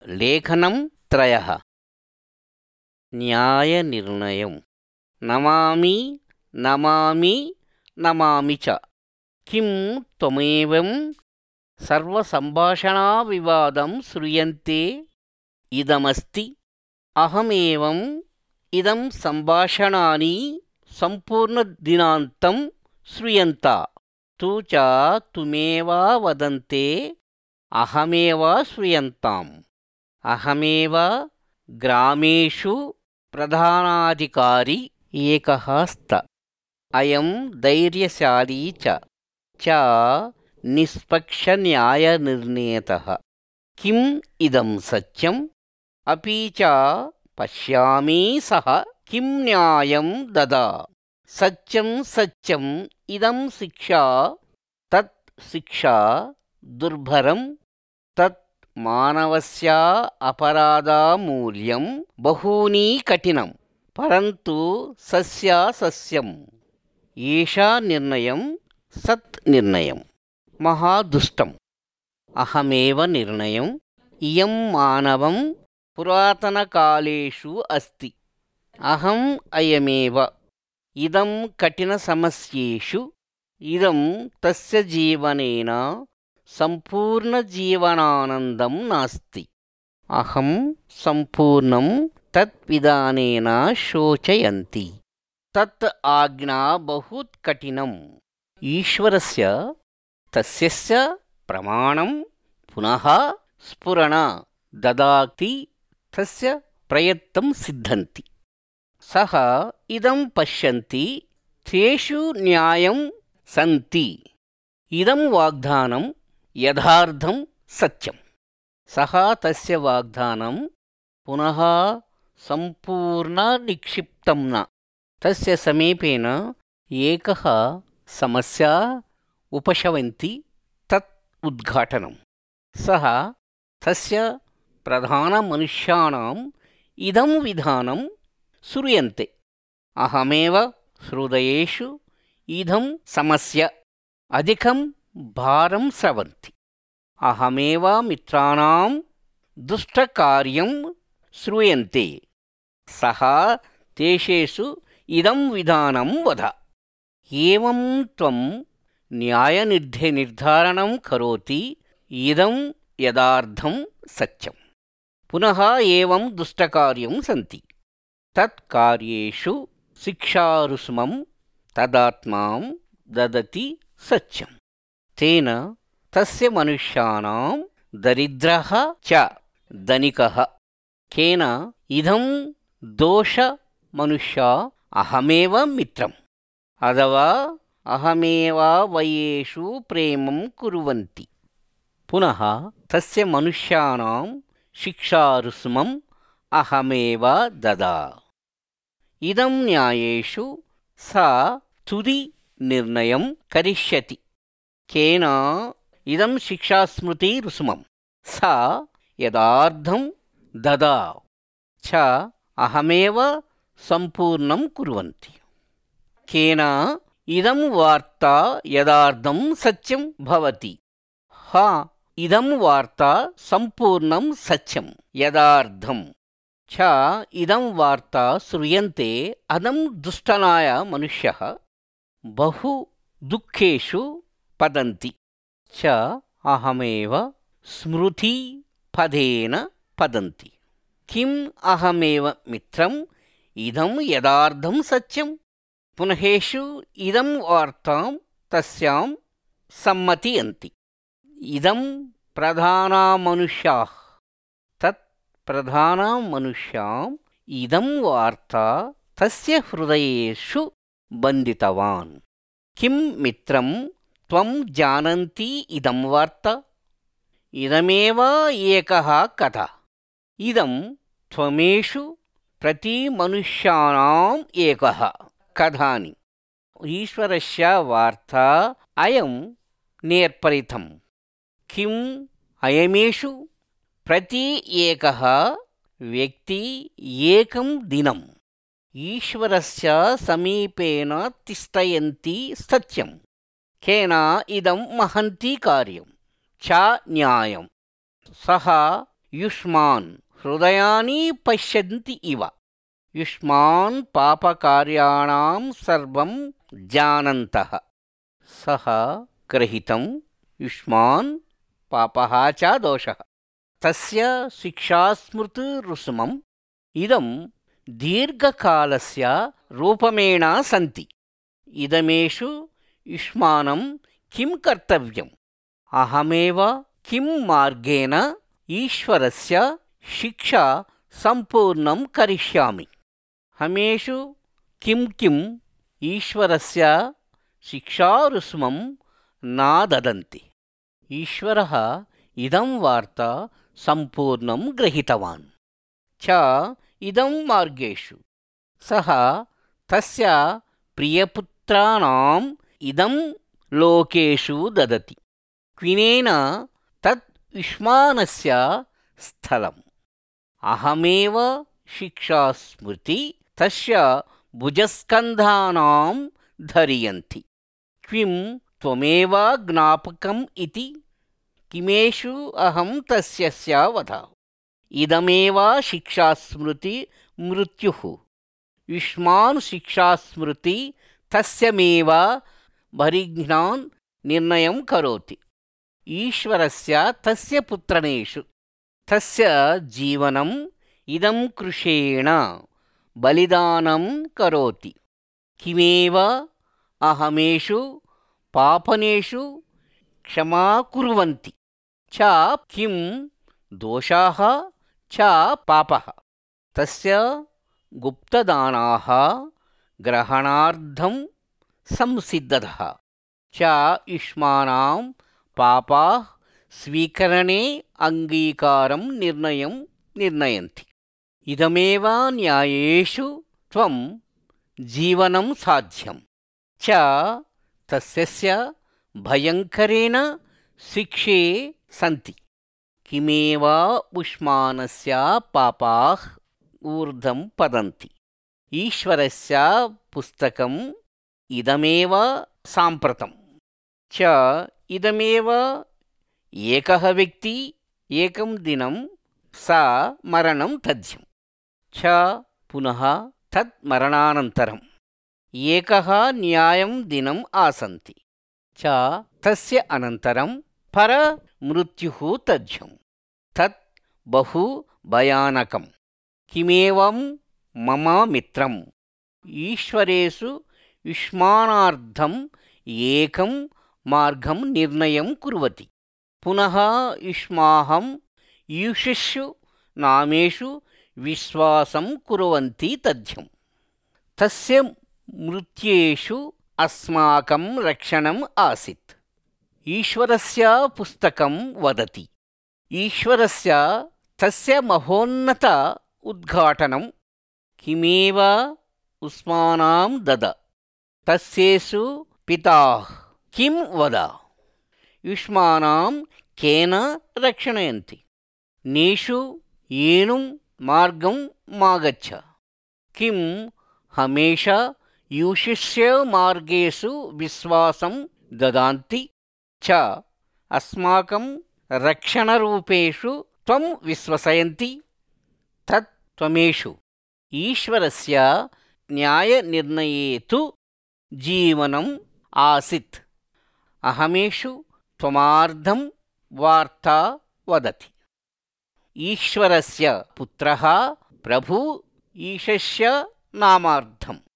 लेखनं त्रयः। न्यायनिर्णयं नमामि नमामि नमामि च। किं त्वमेवं सर्वसम्भाषणाविवादं श्रूयन्ते इदमस्ति। अहमेवम् इदं सम्भाषणानि सम्पूर्णदिनान्तं श्रूयन्ता। तु च तुमेव वदन्ते अहमेव श्रूयन्ताम्। अहमेव ग्रामेषु प्रधानाधिकारी एकः स्त। अयं धैर्यशाली च निष्पक्षन्यायनिर्णेतः। किम् इदं सत्यम् अपि च पश्यामि सः किं न्यायं ददा। सत्यं सत्यम् इदं शिक्षा तत् शिक्षा दुर्भरं तत् मानवस्य अपराधमूल्यं बहूनि कठिनं परन्तु सस्य सस्यम्। एषा निर्णयं सत् निर्णयं महादुष्टम्। अहमेव निर्णयम् इयं मानवं पुरातनकालेषु अस्ति। अहम् अयमेव इदं कठिनसमस्येषु इदं तस्य जीवनेन सम्पूर्णजीवनानन्दं नास्ति। अहं सम्पूर्णं तत्विधानेन शोचयन्ति। तत् आज्ञा बहु कठिनम्। ईश्वरस्य तस्यस्य प्रमाणं पुनः स्फुरण ददाति तस्य प्रयत्नं सिद्धन्ति। सः इदं पश्यन्ति तेषु न्यायं सन्ति। इदं वाग्दानं यथार्थं सत्यं। सः तस्य वाग्दानं पुनः सम्पूर्णनिक्षिप्तं न। तस्य समीपेन एकः समस्या उपशमन्ति तत् उद्घाटनं। सः तस्य प्रधानमनुष्याणाम् इदं विधानं श्रूयन्ते। अहमेव हृदयेषु इदं समस्या अधिकं भारं स्रवन्ति। अहमेव मित्राणां दुष्टकार्यं श्रूयन्ते। सः तेषु इदं विधानं वद। एवं त्वं न्यायनिर्धारणं करोति इदं यथार्थं सत्यं। पुनः एवं दुष्टकार्यं सन्ति तत्कार्येषु शिक्षारुष्मं तदात्मां ददति सत्यं। तेन तस्य मनुष्याणां दरिद्रः च धनिकः। केन इदं दोष मनुष्या अहमेव मित्रम् अथवा अहमेव वयेषु प्रेमं कुर्वन्ति। पुनः तस्य मनुष्याणां शिक्षारुष्मम् अहमेव ददा। इदं न्यायेषु सा तुदि निर्णयं करिष्यति। केन इदं शिक्षास्मृतिरुष्मं सा यथार्थं ददा च अहमेव सम्पूर्णं कुर्वन्ति। केन इदं वार्ता यथार्थं सत्यं भवति। हा इदं वार्ता सम्पूर्णं सत्यं यथार्थं च इदं वार्ता श्रूयन्ते अदं दुष्टनाय मनुष्यः बहु दुःखेषु पतन्ति च अहमेव स्मृति पदेन पतन्ति। किम् अहमेव मित्रम् इदं यथार्थं सत्यं। पुनहेषु इदं वार्तां तस्यां सम्मतयन्ति। इदं प्रधानमनुष्याः तत् प्रधानमनुष्याम् इदं वार्ता तस्य हृदयेषु बन्धितवान्। किं मित्रं त्वं जानन्ति इदं वार्ता। इदमेव एकः कथा। इदं त्वमेषु प्रतिमनुष्याणाम् एकः कथानि। ईश्वरस्य वार्ता अयं नेर्परितम्। किम् अयमेषु प्रति एकः व्यक्ति एकं दिनम् ईश्वरस्य समीपेन तिष्ठयन्ति सत्यं। केन इदं महन्ति कार्यं च न्यायं। सः युष्मान् हृदयानि पश्यन्ति इव। युष्मान् पापकार्याणां सर्वं जानन्तः। सः ग्रहीतं युष्मान् पापः च दोषः। तस्य शिक्षास्मृतिरुसुमम् इदं दीर्घकालस्य रूपमेण सन्ति। इदमेषु युष्मानं किं कर्तव्यम्? अहमेव किं मार्गेण ईश्वरस्य शिक्षा सम्पूर्णं करिष्यामि। हमेषु किं ईश्वरस्य शिक्षारुसुमं न ददन्ति। ईश्वरः इदं वार्ता सम्पूर्णं गृहीतवान् च इदं मार्गेषु सः तस्य प्रियपुत्राणाम् इदं लोकेषु ददति। क्विनेन तत् युष्मानस्य स्थलम्। अहमेव शिक्षास्मृति तस्य भुजस्कन्धानां धरियन्ति। क्विं त्वमेव ज्ञापकम् इति किमेषु अहं तस्य वद। इदमेव शिक्षास्मृति मृत्युः। युष्मान् शिक्षास्मृति तस्यमेव परिघ्नान् निर्णयं करोति। ईश्वरस्य तस्य पुत्रेषु तस्य जीवनम् इदं कृशेण बलिदानं करोति। किमेव अहमेषु पापनेषु क्षमा कुर्वन्ति च किं दोषाः च पापः। तस्य गुप्तदानाः ग्रहणार्थं संसिद्धः च युष्मानां पापाः स्वीकरणे अङ्गीकारं निर्णयन्ति। इदमेव न्यायेषु त्वं जीवनं साध्यं च तस्य भयङ्करेण शिक्षे सन्ति। किमेव युष्मानस्य पापाः ऊर्ध्वं पतन्ति। ईश्वरस्य पुस्तकम् इदमेव साम्प्रतं च इदमेव एकः व्यक्ति एकं दिनं सा मरणं तथ्यं च पुनः तत् मरणानन्तरम् एकः न्यायं दिनम् आसन्ति च तस्य अनन्तरं परमृत्युः तथ्यं तत् बहु भयानकं। किमेवं मम मित्रम् ईश्वरेषु युष्मानार्थम् एकं मार्गं निर्णयं कुर्वति। पुनः युष्माहं ईशुषु नामेषु विश्वासं कुर्वन्ति तथ्यं तस्य मृत्येषु अस्माकं रक्षणम् आसीत्। ईश्वरस्य पुस्तकं वदति। ईश्वरस्य तस्य महोन्नत उद्घाटनं किमेव युष्मानां दद। तस्येषु पिताः किं वद। युष्मानां केन रक्षणयन्ति। नेषु येनुं मार्गं मागच्छ। किं हमेशा यूशिष्य मार्गेषु विश्वासं ददान्ति च अस्माकं रक्षणरूपेषु त्वं विश्वसयन्ति। तत् त्वमेषु ईश्वरस्य न्यायनिर्णये तु जीवनम् आसीत्। अहमेषु त्वमार्धं वार्ता वदति। ईश्वरस्य पुत्रः प्रभु ईशस्य नामार्थम्।